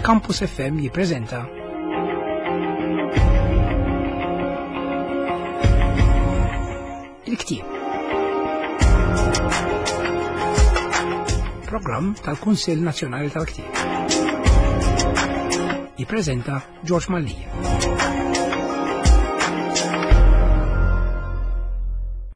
Campus FM jippreżenta Il-Ktieb. Programm tal-Kunsill Nazzjonali tal-Ktieb. Jippreżenta George Mallia.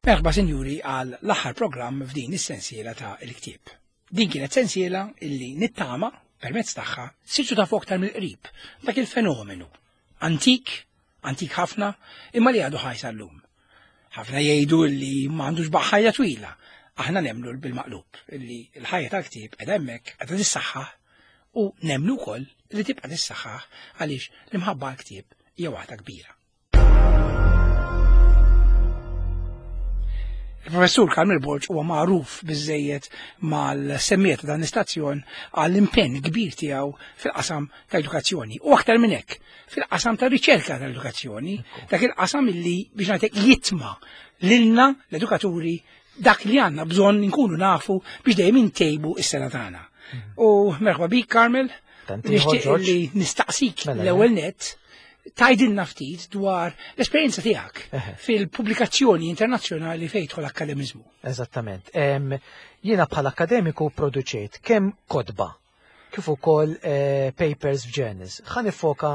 Merħba sinjuri għal l-aħħar programm f'din is-sensiela ta' il-ktieb. Din kienet sensiela illi nittama permezz tagħha sirtu tafu aktar mill-qrib dak il-fenomenu antik, antik ħafna, imma li għadu ħaj sal-lum. Ħafna jgħidu li m'għandux ħajja twila. Aħna nemlu bil-maqlub illi l-ħajja tal-ktieb qiegħda hemmhekk qiegħda tissaħħaħ u nemnu wkoll li tibqa' tissaħħaħ għaliex l-imħabba għall-ktieb hija waħda kbira. Il-professur Carmel Borg huwa magħruf biżejjed mal-semmiet ta' dan l-istazzjon għall-impenn kbir tiegħu fil-qasam ta' edukazzjoni u aktar minn hekk fil-qasam ta' riċerka tal-edukazzjoni, dak il-qasam illi biex ngħidlek jitma lilna l-edukaturi dak li għandna bżonn nkunu nafu biex dejjem intejbu is-sena tagħna. Mm. U merħba bik Carmel, nixtieq li nistaqsik mela, l-ewwel mela. nett tajdilna ftit dwar l-esperjenza tiegħek fil-pubblikazzjoni internazzjonali fejn jidħol akkademiżmu. Eżattament. Jiena bħala akkademiku produċejt kemm kotba kif ukoll eh, papers f'journals. Ħa nifoka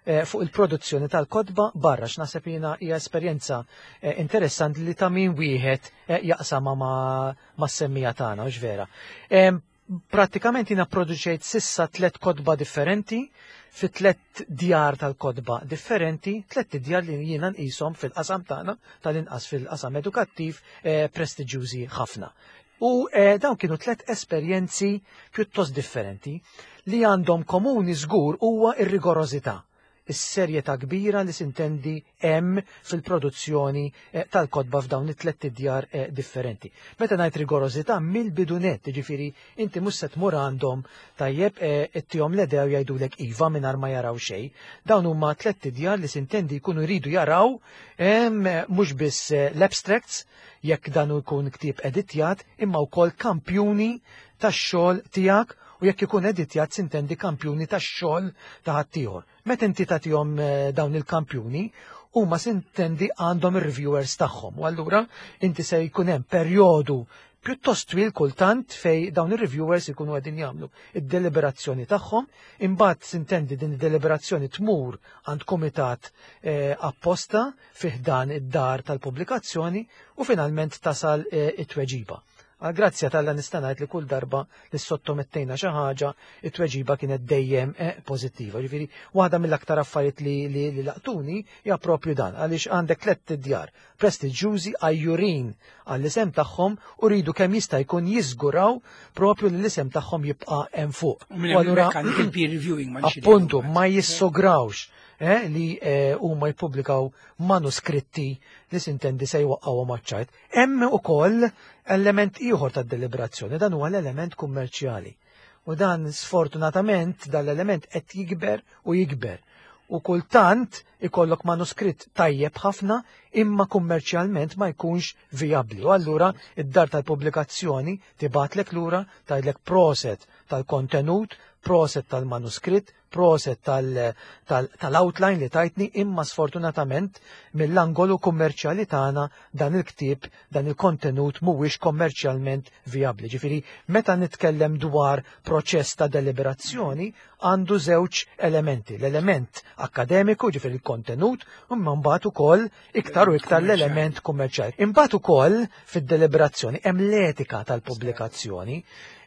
eh, fuq il-produzzjoni tal-kotba barra x'naħseb jiena hija esperjenza eh, interessanti li ta' min wieħed jaqsama ma' semmija tagħna, hux vera. Prattikament jiena produċejt sissa tlet kotba differenti fi tlet djar tal-kotba differenti, tlet djar li jiena nqishom fil-qasam tagħna tal-inqas fil-qasam edukattiv eh, prestiġjużi ħafna. U eh, dawn kienu tlet esperjenzi pjuttost differenti li għandhom komuni żgur huwa ir-rigorożità is-serjetà kbira li sintendi hemm fil-produzzjoni eh, tal-kotba f'dawn it-tlett idjar eh, differenti. Meta ngħid rigorożità mill-bidu nett, jiġifieri inti mhux se tmur għandhom tajjeb eh, ittihom l-idea u jgħidulek iva mingħajr ma jaraw xejn. Dawn huma tlett idjar li sintendi jkunu jridu jaraw mhux biss l-abstracts jekk dan jkun ktieb editjat imma wkoll kampjuni tax-xogħol tiegħek u jekk ikun editjat sintendi kampjuni tax-xogħol ta' ħaddieħor. Meta inti tagħtihom eh, dawn il-kampjuni, huma sintendi għandhom ir-reviewers tagħhom. U allura inti se jkun hemm perjodu pjuttost twil kultant fej dawn ir-reviewers ikunu qegħdin jagħmlu id-deliberazzjoni tagħhom, imbagħad sintendi din id-deliberazzjoni tmur għand kumitat eh, apposta fih dan id-dar tal-pubblikazzjoni u finalment tasal eh, it-tweġiba. Għal grazzja t'Alla nista' ngħid li kull darba li ssottomettejna xi ħaġa, it-tweġiba kienet dejjem eh, pożittiva. Ġifieri waħda mill-aktar affarijiet li, li, li laqtuni hija propju dan, għaliex għandek tlett djar prestiġjużi għajjurin għall-isem tagħhom u rridu kemm jista' jkun jiżguraw propju li l-isem tagħhom jibqa' hemm fuq. U allura il-peer reviewing ma appuntu ma jissograwx eh, li eh, huma jippubblikaw manuskritti li sintendi se jwaqqgħuhom għaċ-ċajt. Hemm ukoll element ieħor tad-deliberazzjoni, dan huwa l-element kummerċjali. U dan sfortunatament dan l-element qed jikber u jikber. U kultant ikollok manuskritt tajjeb ħafna imma kummerċjalment ma jkunx vijabbli. U allura id-dar tal-pubblikazzjoni tibgħatlek lura tgħidlek proset tal-kontenut, proset tal-manuskritt, Proset tal-outline li tajtni imma sfortunatament mill-angolu kummerċjali tagħna dan il-ktieb, dan il-kontenut mhuwiex kommerċjalment vijabbli. Ġifieri meta nitkellem dwar proċess ta' deliberazzjoni għandu żewġ elementi, l-element akkademiku, ġifieri l-kontenut, imma mbagħad ukoll iktar u iktar l-element kummerċjali. Imbagħad ukoll fid-deliberazzjoni hemm l-etika tal-pubblikazzjoni.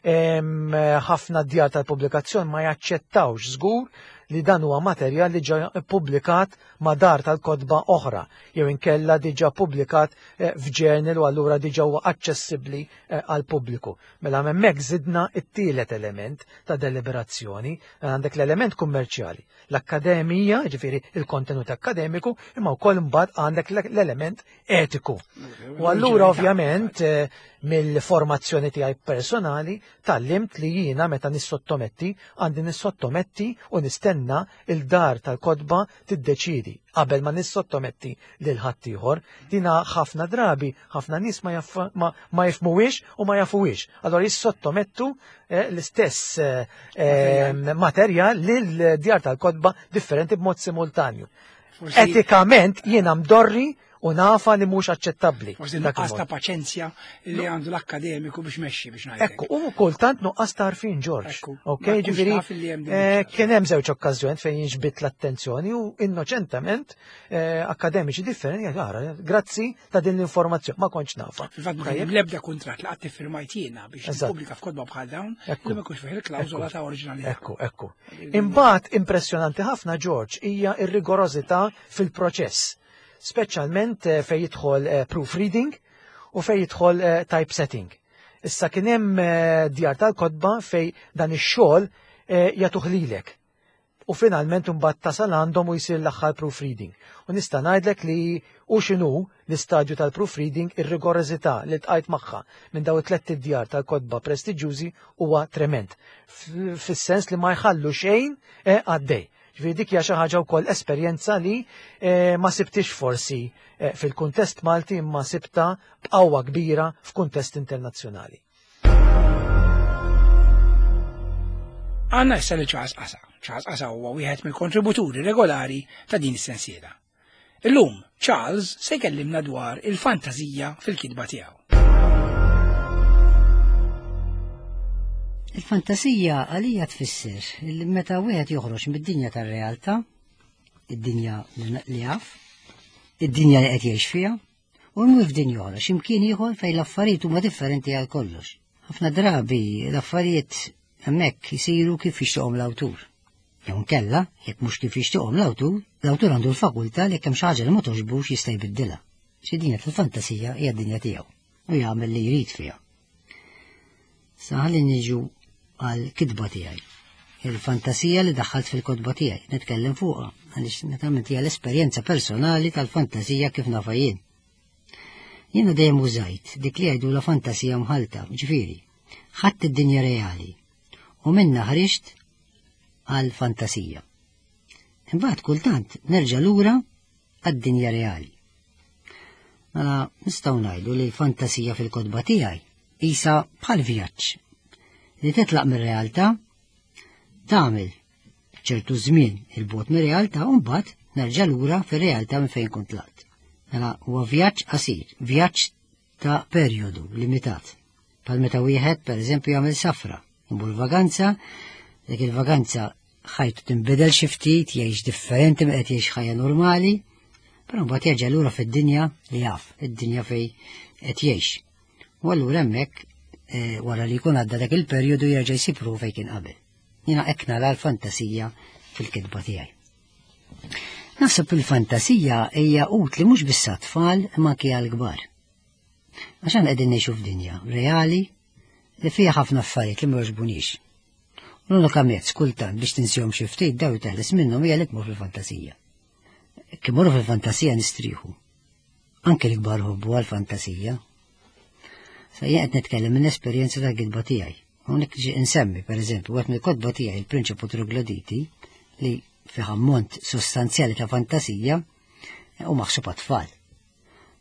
Ħafna djar tal-pubblikazzjoni ma jaċċettawx żgur li dan huwa materjal li ġa ppubblikat ma' dar tal-kotba oħra jew inkella diġà ppubblikat eh, f'journal u allura diġà huwa aċċessibbli eh, għall-pubbliku. Mela hemmhekk żidna t-tielet element ta' deliberazzjoni, għandek l-element kummerċjali l-akkademija, ġifieri il-kontenut akkademiku, imma wkoll imbagħad għandek l-element etiku. U allura ovvjament eh, mill-formazzjoni tiegħi personali tallimt li jiena meta nissottometti għandi nissottometti u nistenna nistenna il-dar tal-kotba tiddeċiedi qabel ma nissottometti lil ħaddieħor. Dina ħafna drabi ħafna nies ma, ma, ma jifmuwiex u ma jafuwiex. Allora jissottomettu eh, l-istess eh, eh, materjal lil djar tal-kotba differenti b'mod simultanju. Etikament jiena mdorri u nafa li mhux aċċettabbli. Forsi nuqqas ta' paċenzja li għandu l-akkademiku biex mexxi biex ngħid. Ekku, u kultant nuqqas ta' għarfien Ġorġ. Ok, ġifieri eh, kien hemm żewġ okkażjoni fejn jinġbid l-attenzjoni u innoċentament eh, akkademiċi differenti ara, grazzi ta' din l-informazzjoni, ma kontx nafa. Fil-fatt ma kien l-ebda kuntratt li qatt iffirmajt jiena biex tippubblika f'kotba bħal dawn, li ma jkunx fih il-klawżola ta' oriġinalità. Ekku, ekku. Imbagħad impressjonanti ħafna Ġorġ hija r-rigorożità fil-proċess speċjalment eh, fejn jidħol eh, proofreading u fejn jidħol eh, typesetting. Issa kien hemm djar tal-kotba fej dan ix-xogħol jagħtuh lilek. U finalment imbagħad tasal għandhom u jsir l-aħħar proofreading. U nista' ngħidlek li u x'inhu l-istadju tal-proofreading ir-rigorożità li tqajt magħha minn daw it-tlett id-djar tal-kotba prestiġjużi huwa trement. Fis-sens li ma jħallu xejn għaddej. Ġifieri dik hija xi ħaġa wkoll esperjenza li eh, ma sibtix forsi eh, fil-kuntest Malti imma sibta b'qawwa kbira f'kuntest internazzjonali. Għanna issa li Charles Qasa. Charles Qasa huwa wieħed mill-kontributuri regolari ta' din is-sensiela. Illum, Charles se jkellimna dwar il-fantażija fil-kitba tiegħu. Il-fantasija għalija tfisser li meta wieħed joħroġ mid-dinja tar-realtà, id-dinja li jaf, id-dinja li qed jgħix fiha, u jmur f'dinja oħra, x'imkien ieħor fejn l-affarijiet huma differenti għal kollox. Ħafna drabi l-affarijiet hemmhekk isiru kif jixtieqhom l-awtur. Jew inkella, jekk mhux kif jixtieqhom l-awtur, l-awtur għandu l-fakultà li jekk hemm xi ħaġa li ma togħġbux jista' jbiddilha. Xi dinja tal-fantasija hija d-dinja tiegħu u jagħmel li jrid fiha. Sa ħalli niġu għal kitba tiegħi. Il-fantasija li daħħalt fil-kotba tiegħi, nitkellem fuqha, għaliex naturalment hija l-esperjenza personali tal-fantasija kif nafa jien. Jiena dejjem użajt dik li jgħidu la fantasija mħalta, ġifieri, ħadd id-dinja reali u minna ħriġt għal fantasija. Imbagħad kultant nerġa' lura għad-dinja reali. Mela nistgħu ngħidu li l-fantasija fil-kotba tiegħi isa bħal vjaġġ li titlaq mir-realtà tagħmel ċertu żmien il-bot mir-realtà u mbagħad nerġa' lura fir-realtà minn fejn kont tlaqt. Mela huwa vjaġġ qasir, vjaġġ ta' perjodu limitat. Bħal meta wieħed pereżempju jagħmel safra, imur vaganza, dik il-vaganza ħajtu tinbidel xi ftit, jgħix differenti minn qed jgħix ħajja normali, però mbagħad jerġa' lura fid-dinja li jaf, id-dinja fej qed jgħix. U allura hemmhekk eh, wara li jkun għadda dak il-perjodu jerġa' jsib ruħu fejn kien qabel. Jiena hekk nara l-fantasija fil-kitba tiegħi. Naħseb il-fantasija hija utli mhux biss tfal imma anke għall-kbar. Għax aħna qegħdin ngħixu f'dinja reali li fiha ħafna affarijiet li ma jogħġbunix. L-unika mezz kultant biex tinsihom xi ftit daw teħles minnhom hija li tmur fil-fantasija. Kif morru fil-fantasija nistrieħu. Anke l-kbar ħobbu għal-fantasija. Sa jien qed nitkellem minn esperjenza tal-kitba tiegħi. Hawnhekk ġi insemmi, pereżempju, wieħed mill-kotba tiegħi il-Prinċipu Trogloditi li fih ammont sostanzjali ta' fantasija u maħsub għat-tfal.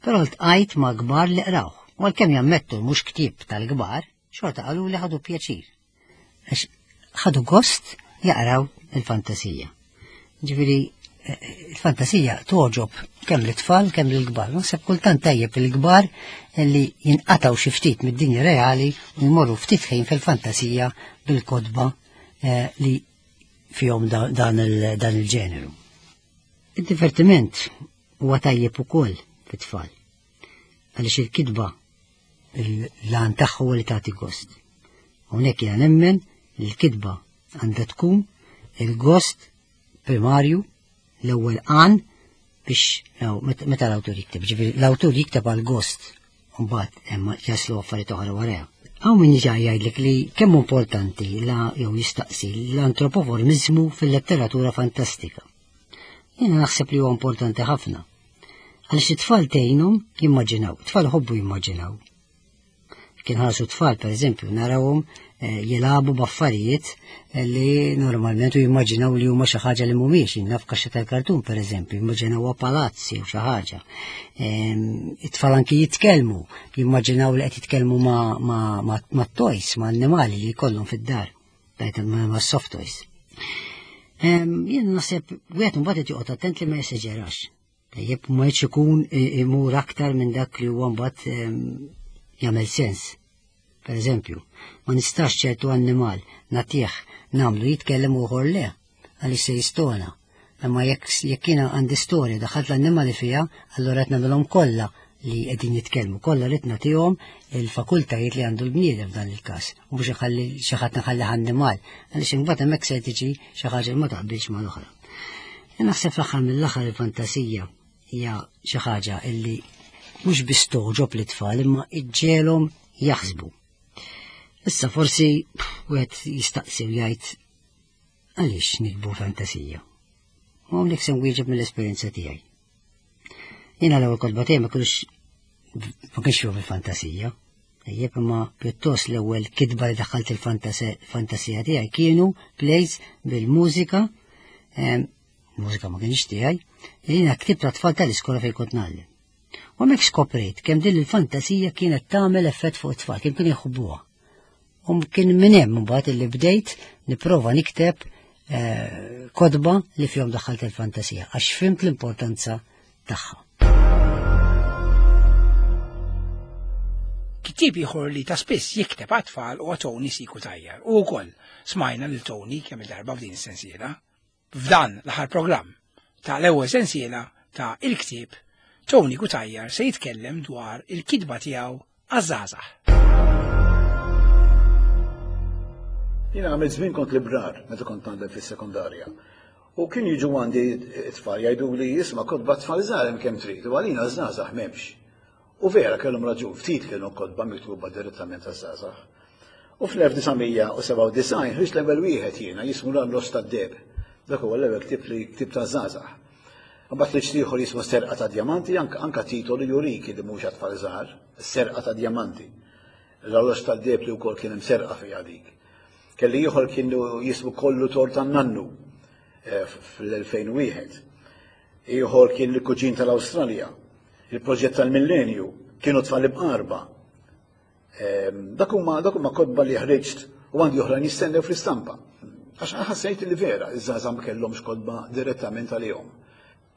Però ltqajt ma' kbar li qrawh, u għalkemm jammettu mhux ktieb tal-kbar, xorta qalu li ħadu pjaċir. Għax ħadu gost jaqraw il-fantasija. Ġifieri eh, il-fantasija toġob kemm l-tfal kemm l-kbar. Naħseb kultant tajjeb il-kbar li jinqataw xi ftit mid-dinja reali u jmorru ftit ħin fil-fantasija bil-kodba eh, li fihom dan il-ġeneru. Il-divertiment huwa tajjeb ukoll fit-tfal. Għaliex il-kitba l-għan tagħha huwa li tagħti gost. Hawnhekk jiena nemmen li l-kitba għandha tkun il-gost primarju l-ewwel għan biex meta l-awtur jikteb, ġifieri l-awtur jikteb għal gost u mbagħad hemm jaslu affarijiet oħra warajha. Hawn min jiġi jgħidlek li kemm importanti la jew jistaqsi l-antropoformiżmu fil-letteratura fantastika. Jiena naħseb li huwa importanti ħafna. Għaliex it-tfal tgħinhom jimmaġinaw, it-tfal ħobbu jimmaġinaw. Kien ħarsu tfal, per eżempju, narawhom eh, jilagħbu b'affarijiet li normalment u jimmaġinaw li huma xi ħaġa li mhumiex, naf kaxxa tal-kartun pereżempju, jimmaġinawha palazzi u xi ħaġa. Ehm, it-tfal anki jitkellmu, jimmaġinaw li qed jitkellmu ma' toys, ma' annimali li jkollhom fid-dar, ma' soft toys. Ehm, jien naħseb wieħed imbagħad qed joqgħod attent li ma jeseġerax. Tajjeb ma jridx ikun imur aktar minn dak li huwa mbagħad ehm, jagħmel sens. Per eżempju, ma nistax ċertu annimal nagħtih nagħmlu jitkellem u ieħor le, għaliex se jistona. Imma jekk jekk jiena għandi storja daħalt l-annimali fiha, allura qed nagħmilhom kollha li qegħdin jitkellmu, kollha rid nagħtihom il-fakultajiet li għandu l-bniedem f'dan il-każ, u mhux inħalli xi ħadd nħallih annimal, għaliex imbagħad hemmhekk se tiġi xi ħaġa li ma taqbilx mal-oħra. Naħseb fl-aħħar mill-aħħar il-fantasija hija xi ħaġa illi mhux biss toġob l-itfal imma iġġelhom jaħsbu. Issa forsi wieħed jistaqsi u jgħid għaliex nikbu fantasija. U hawnhekk se nwieġeb mill-esperjenza tiegħi. Jiena l-ewwel kotba tiegħi ma kienx ma kienx fihom il-fantasija. Tajjeb imma pjuttost l-ewwel kitba li daħħalt il-fantasija tiegħi kienu plays bil-mużika, mużika ma kienx tiegħi, li jiena ktibt tfal tal-iskola fejn kont ngħallem. U hemmhekk skoprejt kemm din il-fantasija kienet tagħmel effett fuq it-tfal, kemm kien jħobbuha. U kien minn hemm imbagħad illi bdejt nipprova nikteb eh, kotba li fihom daħħalt il-fantasija għax fimt l-importanza tagħha. Kittieb ieħor li ta' spiss jikteb għat-tfal huwa Tony Siku Tajjar u wkoll smajna lil Tony kemm il-darba f'din is-sensiela. F'dan l-aħħar programm ta' l-ewwel sensiela ta' Il-Ktieb, Tony Cutajar se jitkellem dwar il-kitba tiegħu għaż-żgħażagħ. Jiena għamilt żmien kont librar meta kont għandek fis-sekondarja. U kien jiġu għandi t-tfal jgħidu li jisma' kotba tfal żgħar hemm kemm trid u għalina żgħażagħ m'hemmx. U vera kellhom raġun, ftit kienu kotba miktuba direttament għaż-żgħażagħ. U fl-1997 ħriġt l-ewwel wieħed jiena jismu l-Allos tad-Deheb. Dak huwa l-ewwel ktieb li ktibt għaż-żgħażagħ. Imbagħad ħriġt ieħor jismu Serqa ta' Djamanti, anka titolu jurik li mhux għat-tfal żgħar, Serqa ta' Djamanti. L-Allos tad-Deheb li wkoll kien hemm serqa fiha dik. Kelli ieħor kien jismu Kollu Tort tan-Nannu eh, fl-2001. Ieħor kien l-Kuġin tal-Awstralja, il-Proġett tal-Millenju, kienu tfal imqarba. Ehm, dak huma dak huma kotba li ħriġt u għandi oħrajn jistennew fl-istampa. Għax ħassejt li vera iż-żgħażagħ ma kellhomx kotba direttament għalihom.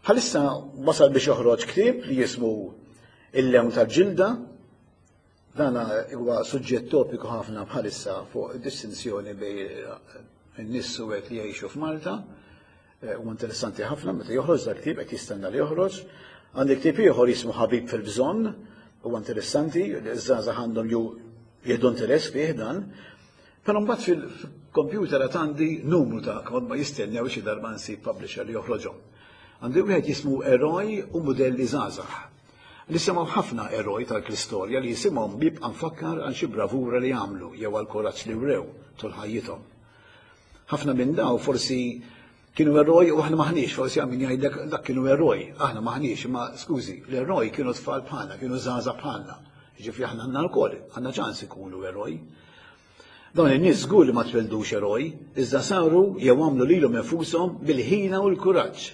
Bħalissa wasal biex joħroġ ktieb li jismu Il-lewn tal-ġilda Dan huwa suġġett topiku ħafna bħalissa fuq distinzjoni bejn in-nies suwed li jgħixu f'Malta. Eh, huwa interessanti ħafna meta joħroġ dak ktieb qed jistenna li joħroġ. Għandi ktieb ieħor jismu Ħabib fil-bżonn, huwa interessanti, iż-żgħażagħ għandhom ju jieħdu interess fih dan. Però mbagħad fil-kompjuter għad għandi numru ta' kotba jistennew xi darba nsib publisher li joħroġhom. Għandi wieħed jismu Eroj u Mudelli Żgħażagħ. Nisimgħu ħafna eroj tal-istorja li isimhom jibqa' mfakkar għal xi bravura li għamlu jew għall-kuraġġ li wrew tul ħajjithom. Ħafna minn daw forsi kienu eroj u aħna maħniex, forsi għal min jgħidlek dak kienu eroj, aħna maħniex, imma skużi, l-eroj kienu tfal bħalna, kienu żgħażagħ bħalna. Jiġifieri aħna għandna lkoll, għandna ċans ikunu eroj. Dawn in-nies żgur li ma twieldux eroj, iżda saru jew għamlu lilhom infushom bil-ħila u l-kuraġġ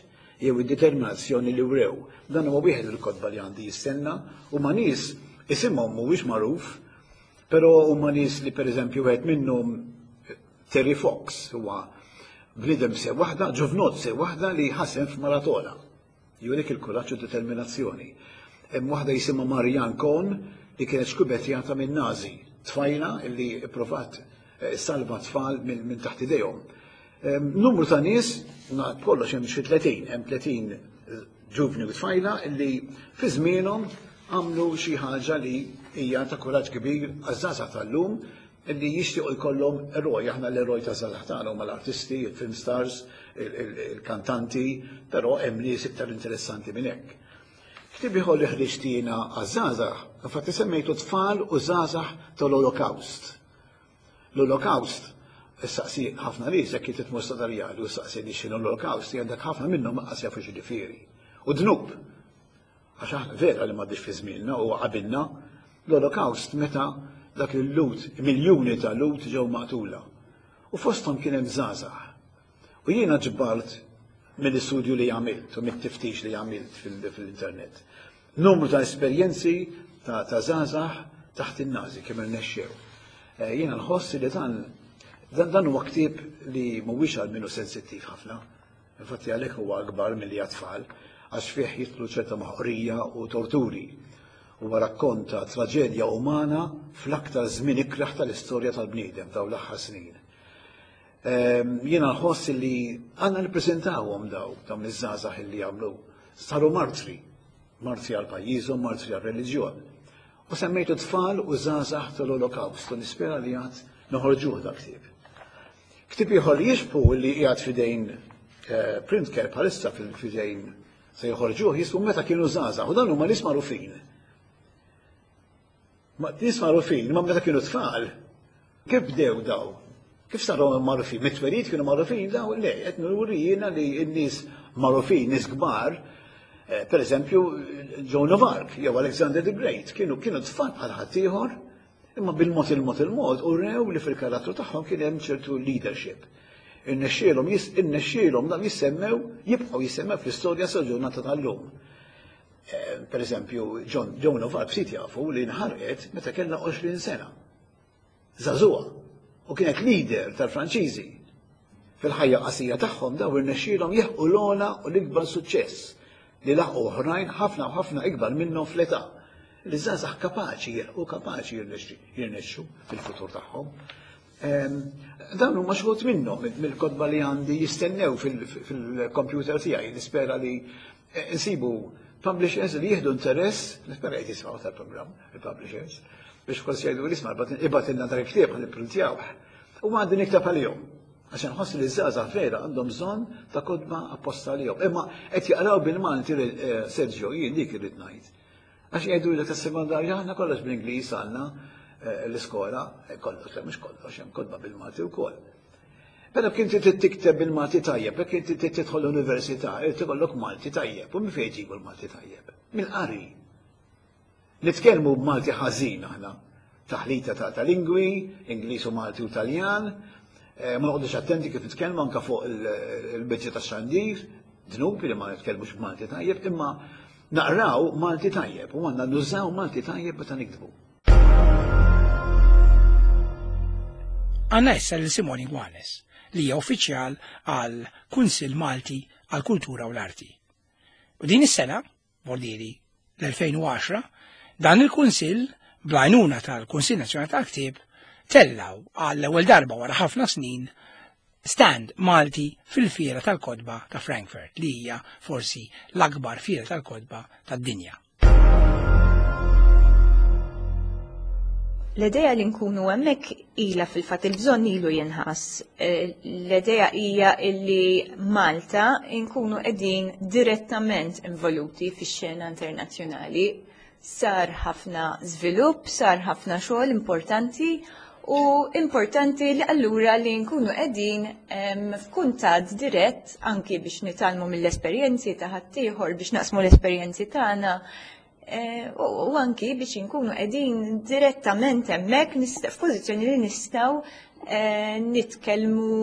jew id-determinazzjoni li wrew. Dan huwa wieħed mill-kotba li għandi jistenna. Huma nies isimhom mhuwiex magħruf, però huma nies li pereżempju wieħed minnhom Terry Fox huwa bniedem se waħda, ġuvnot se waħda li ħasem f'maratona. Jurik il-kuraġġ u d-determinazzjoni. Hemm waħda jisimha Marianne Cohn li kienet xkubetjata minn Nazi, tfajla li pprovat eh, salva tfal minn taħt idejhom. Numru ta' nies, kollox hemm xi 30, hemm 30 eh, ġuvni u tfajla li fi żmienhom għamlu xi ħaġa li hija ta' kuraġġ kbir għaż-żgħażagħ tal-lum Illi jixtiequ jkollhom eroj, aħna l-eroj taż-żgħażagħ tagħna huma l-artisti, il-film stars, il-kantanti, però hemm nies iktar interessanti minn hekk. Ktieb ieħor li ħriġt jiena għaż-żgħażagħ, infatti semmejtu Tfal u Żgħażagħ tal-Olokawst. L-Olokawst, issaqsi ħafna nies jekk inti tmur Sadarjali u ssaqsi nies x'inhu l-Olokawst, jgħidlek ħafna minnhom lanqas jafu x'jiġifieri. U dnub! Għax aħna vera li m'għaddix fi żmienna u qabilna l-Olokawst meta Dak il-Lhud, miljuni ta' Lhud ġew maqtula. U fosthom kien hemm żgħażagħ. U jiena ġbart mill-istudju li għamilt u mit-tiftix li għamilt fil-internet. Numru ta' esperjenzi ta' żgħażagħ taħt in-Nazi kemm irnexxew. Eh, jiena nħoss li dan dan huwa ktieb li mhuwiex għal minnu sensittiv ħafna. Infatti għalhekk huwa akbar milli għat-tfal, għax fih jidħlu ċerta maħqrija u torturi. Huwa rakkont ta' traġedja umana fl-aktar żmien ikrah tal-istorja tal-bniedem dawn l-aħħar snin. Ehm, jiena nħoss li għandna nippreżentawhom daw dawn iż-żgħażagħ li għamlu saru martri, martri għal pajjiżhom, martri għal reliġjon. U semmejtu tfal u żgħażagħ tal-Olokawst u nispera li għad noħorġuh dak ktieb. Ktieb ieħor li jixbhu li qiegħed f'idejn eh, Printcare bħalissa f'idejn se joħorġuh jismu meta kienu żgħażagħ u dan huma nies magħrufin. Nies magħrufin, ma meta kienu tfal, kif bdew daw? Kif saru magħrufin? Mit-twelid kienu magħrufin daw? Le, qed nuri jiena li n-nies magħrufin, nies kbar, eh, per eżempju, Joan of Arc jew Alexander the Great, kienu kienu tfal bħal ħaddieħor, Imma bil-mod il-mod il-mod urew li fil-karattru tagħhom kien hemm ċertu leadership. Irnexxielhom irnexxielhom dawn jissemmew, jibqgħu jissemmew fl-istorja sal-ġurnata tal-lum. Eh, per eżempju, John, Joan of Arc ftit jafu li nħarqet meta kellha 20 sena. Żagħżugħa. U kienet leader tal-Franċiżi. Fil-ħajja qasira tagħhom dawn irnexxielhom jilħqu l-ogħla u l-ikbar suċċess li laħqu oħrajn ħafna u ħafna ikbar minnhom fl-età. Li żgħażagħ kapaċi jilħqu kapaċi jirnexxu fil-futur tagħhom. Ehm, dawn huma xogħol minnhom mill-kotba li għandi jistennew fil-kompjuter tiegħi nispera li eh, nsibu publishers li jieħdu interess, nispera qed jisimgħu tal-programm il-publishers, biex forsi jgħidu l-isma' ibatilna dak il-ktieb ħalli printjawh. U għandi nikteb għalihom. Għax inħoss li ż-żgħażagħ vera għandhom bżonn ta' kotba apposta għalihom. Imma qed jaqraw bil-Malti eh, Sergio, jien dik irrid ngħid. Għax jgħidu li tas-sekondarja aħna kollox bl-Ingliż għandna eh, l-iskola, eh, kollox, mhux kollox, hemm kotba bil-Malti wkoll. Però kien trid tikteb bil-Malti tajjeb, jekk inti trid tidħol l-università, irid ikollok Malti tajjeb. U minn fejn ġibu l-Malti tajjeb? Mill-qari. Nitkellmu b'Malti ħażin aħna. Taħlita ta' ta' lingwi, Ingliż u Malti u Taljan. Eh, ma noqgħodux attenti kif nitkellmu anke fuq il-biċċa tax-xandir, dnub li ma nitkellmux b'Malti tajjeb, imma naqraw Malti tajjeb u għandna nużaw Malti tajjeb meta niktbu. Għanna issa lil Simoni Gwanes, li hija uffiċjal għal Kunsill Malti għal Kultura u l-Arti. U din is-sena, Bordieri l-2010, dan il-Kunsill, bl-għajnuna tal-Kunsill Nazzjonali tal-Ktieb, tellaw għall-ewwel darba wara ħafna snin stand Malti fil-Fiera tal-Kotba ta' Frankfurt li hija forsi l-akbar fiera tal-kotba tad-dinja. L-idea li nkunu hemmhekk ilha fil-fatt il-bżonn ilu jinħass. Eh, l-idea hija illi Malta nkunu qegħdin direttament involuti fix-xena internazzjonali. Sar ħafna żvilupp, sar ħafna xogħol importanti u importanti li allura li nkunu qegħdin f'kuntatt dirett anki biex nitgħallmu mill-esperjenzi ta' ħaddieħor biex naqsmu l-esperjenzi tagħna Eh, u anki biex inkunu qegħdin direttament hemmhekk f'pożizzjoni li nistgħu eh, nitkellmu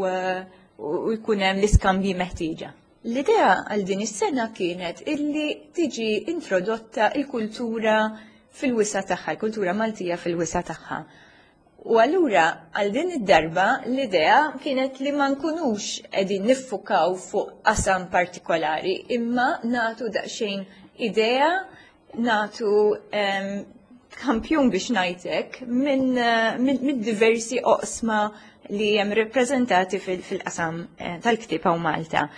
eh, u jkun hemm l-iskambji meħtieġa. L-idea għal din is-sena kienet illi tiġi introdotta il-kultura fil-wisa tagħha, il-kultura Maltija fil-wisa tagħha. U allura għal din id-darba l-idea kienet li ma nkunux qegħdin niffukaw fuq qasam partikolari, imma natu daqsxejn idea, natu kampjun biex ngħidlek minn min, min diversi oqsma li hemm rappreżentati fil-qasam eh, tal-ktieb hawn Malta.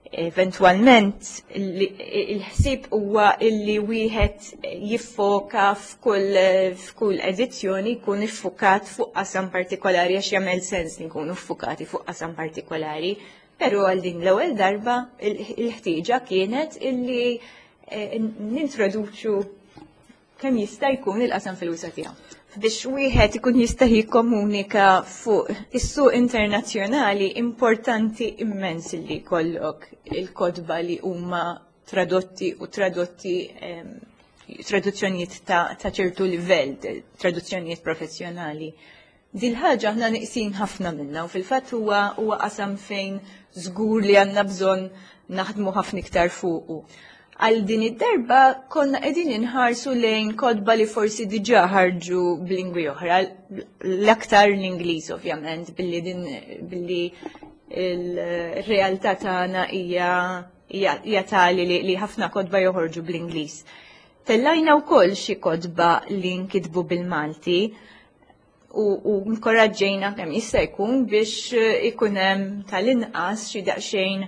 Eventwalment il-ħsieb huwa illi wieħed jiffoka f'kull f'kull edizzjoni jkun iffukat fuq qasam partikolari għax jagħmel sens li nkunu ffukati fuq qasam partikolari. Però għal din l-ewwel darba il-ħtieġa kienet illi eh, nintroduċu kemm jista' jkun il-qasam fil-wisa' tiegħu. Biex wieħed ikun jista' jikkomunika fuq is-suq internazzjonali importanti immens li jkollok il-kotba li huma tradotti u tradotti ehm, traduzzjonijiet ta' ċertu livell, traduzzjonijiet professjonali. Dil-ħaġa aħna neqsin ħafna minna u fil-fatt huwa qasam fejn żgur li għandna bżonn naħdmu ħafna iktar fuqu. Għal din id-darba konna qegħdin inħarsu lejn kotba li forsi diġà ħarġu b'lingwi oħra, l-aktar l-Ingliż ovvjament, billi din billi il-realtà tagħna hija tali li ħafna kotba joħorġu bl-Ingliż. Tellajna wkoll xi kotba li nkitbu bil-Malti u nkoraġġejna kemm jista' jkun biex ikun hemm tal-inqas xi daqsxejn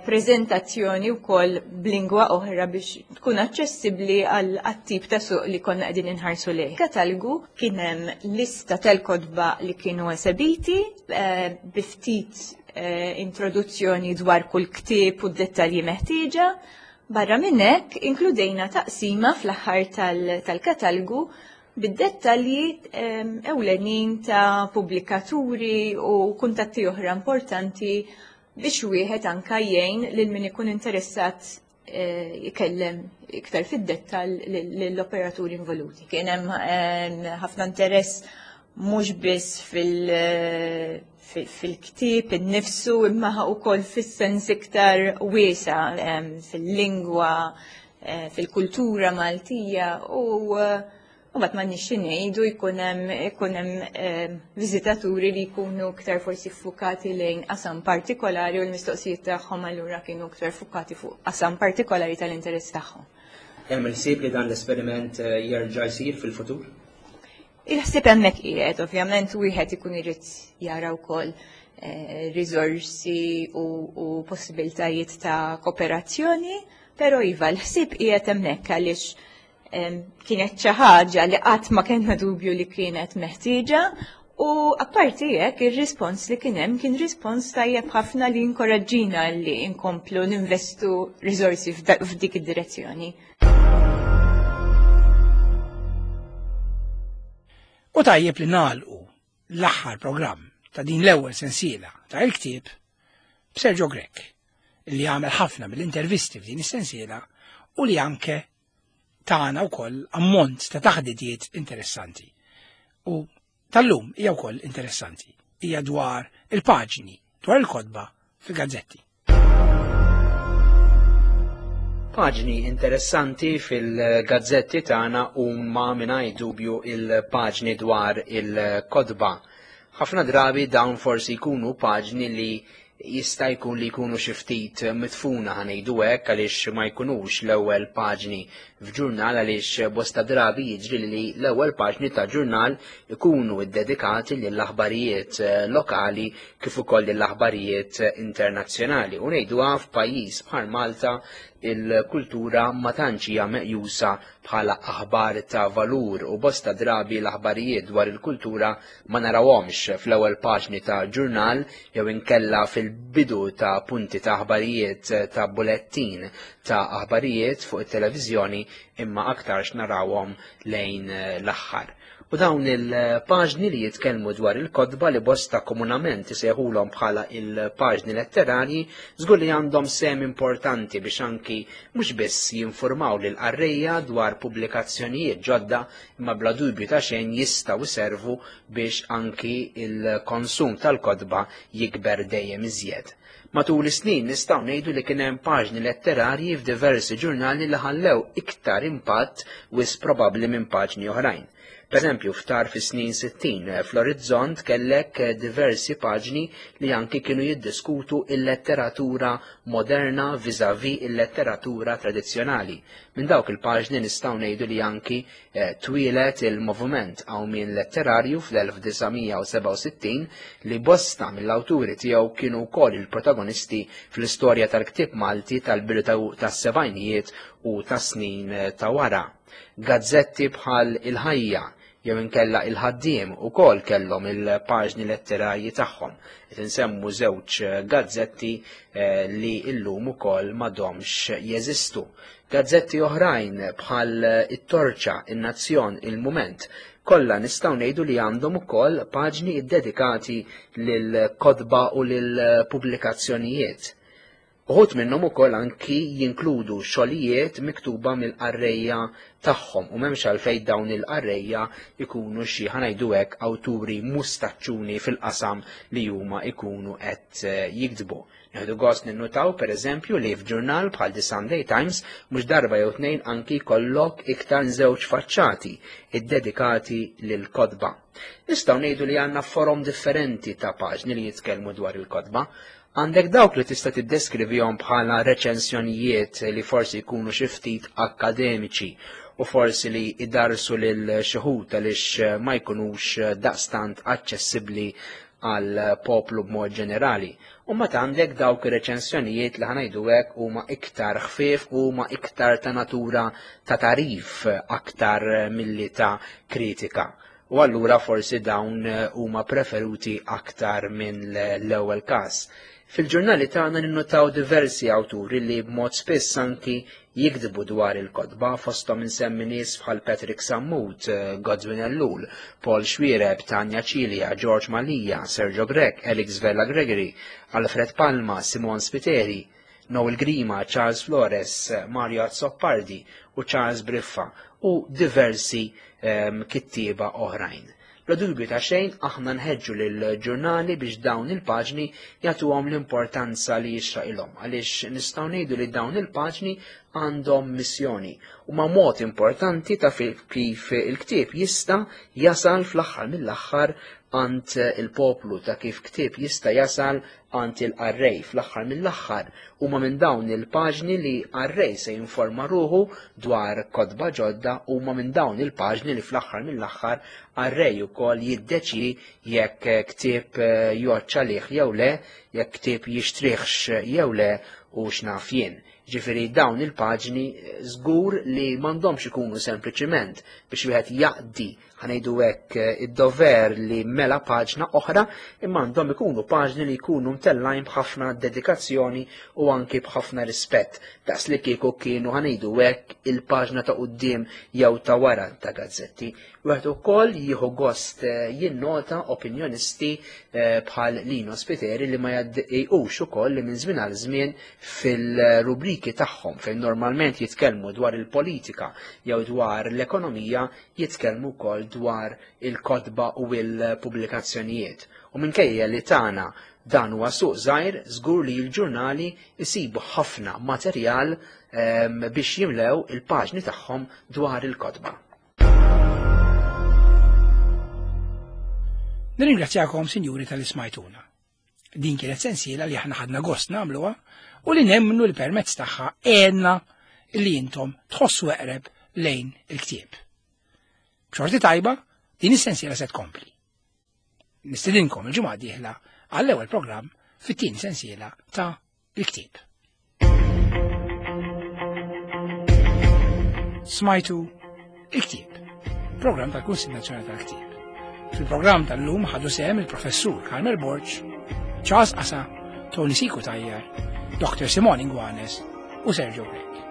preżentazzjoni wkoll b'lingwa oħra biex tkun aċċessibbli għal tip ta' suq li konna qegħdin inħarsu lejh. Katalgu kien hemm lista tal-kotba li kienu esebiti bi ftit introduzzjoni dwar kull ktieb u d-dettalji meħtieġa. Barra minn hekk inkludejna taqsima fl-aħħar tal-katalgu bid-dettalji ewlenin ta' pubblikaturi u kuntatti oħra importanti biex wieħed anka jgħin lil min ikun interessat jikellem iktar fid-dettall lill-operaturi involuti. Kien hemm ħafna interess mhux biss fil-ktieb innifsu imma wkoll fis-sens iktar wiesa' fil-lingwa, fil-kultura Maltija u mbagħad m'għandniex xi ngħidu jkun hemm viżitaturi li jkunu iktar forsi ffukati lejn qasam partikolari u l-mistoqsijiet tagħhom allura kienu iktar ffukati fuq qasam partikolari tal-interess tagħhom. Hemm il-ħsieb li dan l-esperiment jerġa' jsir fil-futur? Il-ħsieb hemmhekk qiegħed, ovvjament wieħed ikun irid jara wkoll riżorsi u possibiltajiet ta' kooperazzjoni, però iva l-ħsieb qiegħed hemmhekk għaliex kienet xi ħaġa li qatt ma kellna dubju li kienet meħtieġa u apparti hekk ir-rispons li kien hemm kien rispons tajjeb ħafna li inkoraġġina li nkomplu ninvestu riżorsi f'dik id-direzzjoni. U tajjeb li nagħlqu l-aħħar programm ta' din l-ewwel sensiela ta' il-ktieb b'Sergio Grech li għamel ħafna mill-intervisti f'din is-sensiela u li anke tagħna wkoll ammont ta' taħdidiet interessanti. U tal-lum hija wkoll interessanti. Hija dwar il-paġni, dwar il-kotba fil-gazzetti. Paġni interessanti fil-gazzetti tagħna huma mingħajr dubju il-paġni dwar il-kotba. Ħafna drabi dawn forsi jkunu paġni li jista' jkun li jkunu xi ftit mitfuna ħanejdu hekk għaliex ma jkunux l-ewwel paġni f'ġurnal għaliex bosta drabi jiġri li l-ewwel paġni ta' ġurnal ikunu ddedikati lill-aħbarijiet lokali kif ukoll lill-aħbarijiet internazzjonali. U ngħiduha f'pajjiż bħal Malta il-kultura ma tantx hija meqjusa bħala aħbar ta' valur u bosta drabi l-aħbarijiet dwar il-kultura ma narawhomx fl-ewwel paġni ta' ġurnal jew inkella fil-bidu ta' punti ta' aħbarijiet ta' bulettin ta' aħbarijiet fuq it-televiżjoni imma aktarx narawhom lejn l-aħħar. U dawn il-paġni li jitkellmu dwar il-kotba li bosta komunament isejħulhom bħala il-paġni letterarji żgur li għandhom sehem importanti biex anki mhux biss jinformaw lil qarrejja dwar pubblikazzjonijiet ġodda imma bla dubju ta' xejn jistgħu jservu biex anki il-konsum tal-kotba jikber dejjem iżjed. Matul is-snin nistgħu ngħidu li kien hemm paġni letterarji f'diversi ġurnali li ħallew iktar impatt wis probabbli minn paġni oħrajn. Per eżempju, ftar fi snin 60 fl-Orizzont kellek diversi paġni li anki kienu jiddiskutu il-letteratura moderna vis-à-vis il-letteratura tradizzjonali. Minn dawk il-paġni nistgħu ngħidu li anki twieled il-moviment qawmien letterarju fl-1967 li bosta mill-awturi tiegħu kienu wkoll il-protagonisti fl-istorja tal-ktieb Malti tal-bidu tas-sebgħinijiet u tas-snin ta' wara. Gazzetti bħal Il-Ħajja jew inkella Il-Ħaddiem ukoll kellhom il-paġni letterarji tagħhom. Qed insemmu żewġ gazzetti li llum ukoll m'għadhomx jeżistu. Gazzetti oħrajn bħal It-Torċa, In-Nazzjon, Il-Mument, kollha nistgħu ngħidu li għandhom ukoll paġni ddedikati lil kotba u lil pubblikazzjonijiet. Uħud minnhom ukoll anki jinkludu xogħlijiet miktuba mill-qarrejja tagħhom u m'hemmx għalfejn dawn il-qarrejja jkunu xi ħa ngħidu hekk awturi mustaċċuni fil-qasam li huma jkunu qed eh, jiktbu. Nieħdu gost ninnutaw pereżempju li f'ġurnal bħal The Sunday Times mhux darba jew tnejn anki jkollok iktar żewġ faċċati iddedikati lil kotba. Nistgħu ngħidu li għandna forom differenti ta' paġni li jitkellmu dwar il-kotba. Għandek dawk li tista' tiddeskrivihom bħala reċensjonijiet li forsi jkunu xi ftit akkademiċi u forsi li idarsu lil xi ħut għaliex ma jkunux daqstant aċċessibbli għal poplu b'mod ġenerali. U mbagħad għandek dawk ir-reċensjonijiet li ħanajdu hekk huma iktar ħfief u huma iktar ta' natura ta' tarif aktar milli ta' kritika. U allura forsi dawn eh, huma preferuti aktar minn l-ewwel każ. Fil-ġurnali tagħna ninnotaw diversi awturi li b'mod spiss anki jikdbu dwar il-kotba fosthom insemmi nies bħal Patrick Sammut, eh, Godwin Ellul, Paul Xuereb, Tanya Cilia, George Mallia, Sergio Grech, Alex Vella Gregory, Alfred Palma, Simon Spiteri, Noel Grima, Charles Flores, Mario Azzopardi u Charles Briffa u diversi ehm, kittieba oħrajn. Bla dubju ta' xejn aħna nħeġġu lill-ġurnali biex dawn il-paġni jagħtuhom l-importanza li jixraqilhom għaliex nistgħu ngħidu li dawn il-paġni għandhom missjoni u ma mod importanti ta' kif il-ktieb jista' jasal fl-aħħar mill-aħħar għand il-poplu ta' kif ktieb jista' jasal għand il-qarrej fl-aħħar mill-aħħar huma minn dawn il-paġni li qarrej se jinforma ruħu dwar kotba ġodda huma minn dawn il-paġni li fl-aħħar mill-aħħar qarrej ukoll jiddeċi jekk ktieb eh, jgħodd għalih jew le, jekk ktieb jixtrihx jew le u x'naf jien. Ġifieri dawn il-paġni eh, żgur li m'għandhomx ikunu sempliċiment biex wieħed jaqdi ħanejdu hekk eh, id-dover li mela paġna oħra, imma għandhom ikunu paġni li jkunu mtellajn b'ħafna dedikazzjoni u anki b'ħafna rispett, daqs li kieku kienu ħanejdu hekk il-paġna ta' quddiem jew ta' wara ta' gazzetti. Wieħed ukoll jieħu gost eh, jinnota opinjonisti eh, bħal Lino Spiteri li ma jgħaddejqux ukoll li minn żmien għal żmien fil-rubriki tagħhom fejn normalment jitkellmu dwar il-politika jew dwar l-ekonomija jitkellmu wkoll dwar il-kotba u l-pubblikazzjonijiet. U minkejja li tagħna dan huwa suq żgħir, żgur li l-ġurnali jsibu ħafna materjal ehm, biex jimlew il-paġni tagħhom dwar il-kotba. Nirringrazzjakom, sinjuri, tal-ismajtuna. Din kienet sensiela li aħna ħadna gost nagħmluha u li nemmnu li permezz tagħha għenna li intom tħossu eqreb lejn il-ktieb. B'xorti tajba, din is-sensiela se tkompli. Nistidinkom il-ġimgħa dieħla għall-ewwel programm fit-tieni sensiela ta' il-ktieb. Smajtu il-ktieb, programm tal-Kunsill Nazzjonali tal-Ktieb. Fil-programm tal-lum ħadu sehem il-professur Carmel Borg, Charles Asa, Tony Siku Tajjar, Dr. Simon Ingwanes u Sergio Grech.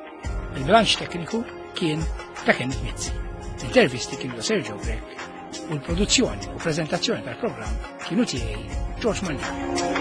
Il-bilanċ tekniku kien ta' Kenneth Mizzi. L-intervisti kienu ta' Sergio Grech u l-produzzjoni u prezentazzjoni tal-programm kienu tiegħi George Mallia.